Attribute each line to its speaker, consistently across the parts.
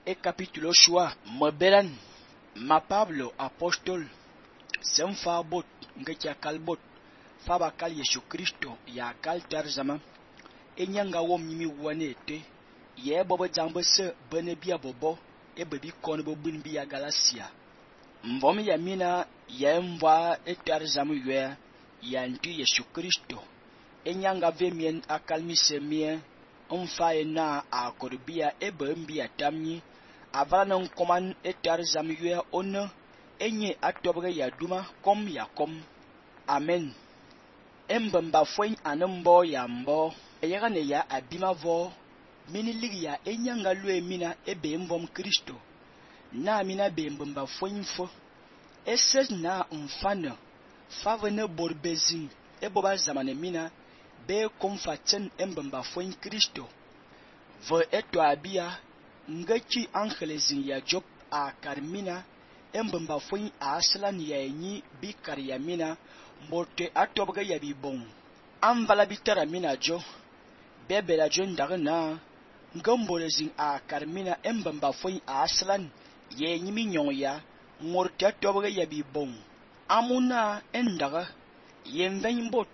Speaker 1: e capítulo shua mebelan ma Pablo apóstol sem fa bot ngecha kalbot fa bakal Yesu Kristo ya kal tarzama e nyanga wom nyimi wane te ye bobo jangbe se bene bia bobo e bebi kon bo bin bia Galatia mvom ya mina ye mva e tarzama ywe ya ntu Yesu Kristo e nyanga ve mien akalmi se mie mfa e na akorbia e be mbia tamni avana nkoman e tarzama ywe one enye atobge ya duma kom ya kom amen embemba fwen anembo ya mbo yaga ne ya abima vo mini ligi ya enyanga lue mina ebe mvom Kristo na mina be mbemba fwen fo eses na mfana favene borbezin eboba zamane mina be komfaten embemba fwen Kristo ve eto abia ngachi angelezin ya job a karmina embemba fwen a aslan ya enyi bi karya mina mbote atobga ya bibong amvala bitara mina jo bebela jo ndagna ngambolezin a karmina embemba fwen a aslan ya enyi minyon ya ngorte atobga ya bibong amuna endaga yenven bot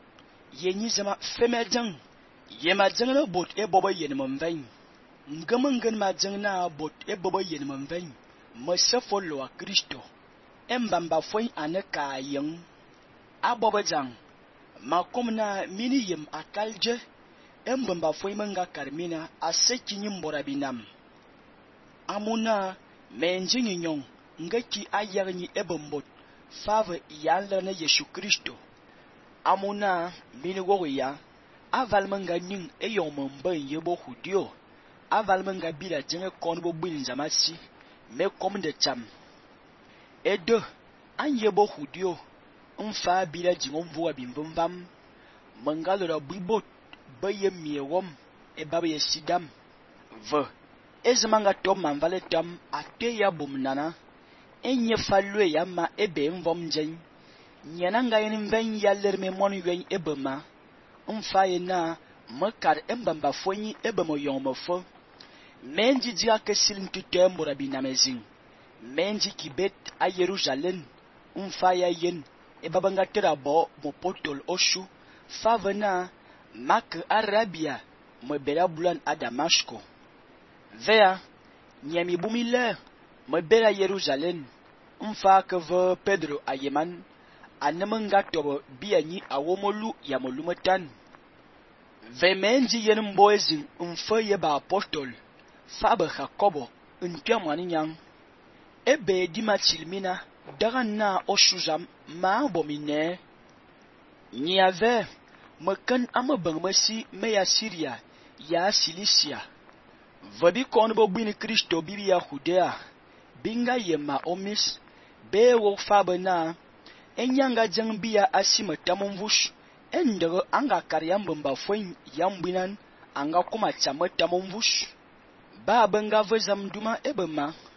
Speaker 1: yenyi zama femedang yema jangna bot e bobo yenmven ngamangan ma jangna bot e bobo yenmven mesefo lo a Kristo embamba fwen ane ka yen abobo jang makomna mini yem akalje embamba fwen manga karmina aseki nyimbora binam amuna menjingi nyong ngaki ayarni ebembot fave yalane Yesu Kristo amuna mini woya avalmanga ning eyomombe yebo hudio avalmanga bila jenge konbo binzamasi me kom de cham edo anyebo hudio mfa bila jingom vuwa bimvumvam mangalora bibot baye miewom e babe sidam ve ezmanga tom manvale tam ate ya bumnana enye falwe ya ma ebe mvom jen nyananga yin ven yaller me mon yen ebema mfa yena makar embamba fonyi ebemo yomofo menji dia kesil ntutembora binamezin menji kibet a Jerusalem mfa ya yen ebabanga terabo mopotol oshu favena mak Arabia mebela bulan a Damasko vea nyami bumile mebela Jerusalem mfa keve Pedro ayeman anemanga tobo bianyi awomolu ya molumetan ve menji yen mboezin mfa yeba apostol fabe Jacobo ntiamani nyang ebe dima chilmina daga na oshuzam ma bomine nyave mekan amabangmasi meya Syria ya Cilicia vabi konbo bini Kristo bibi ya Judea binga yema omis be wo fabe na enyanga jangbia asima tamonvush endere anga karyambamba fwen yambinan anga kuma chama tamonvush ba banga vezam duma ebema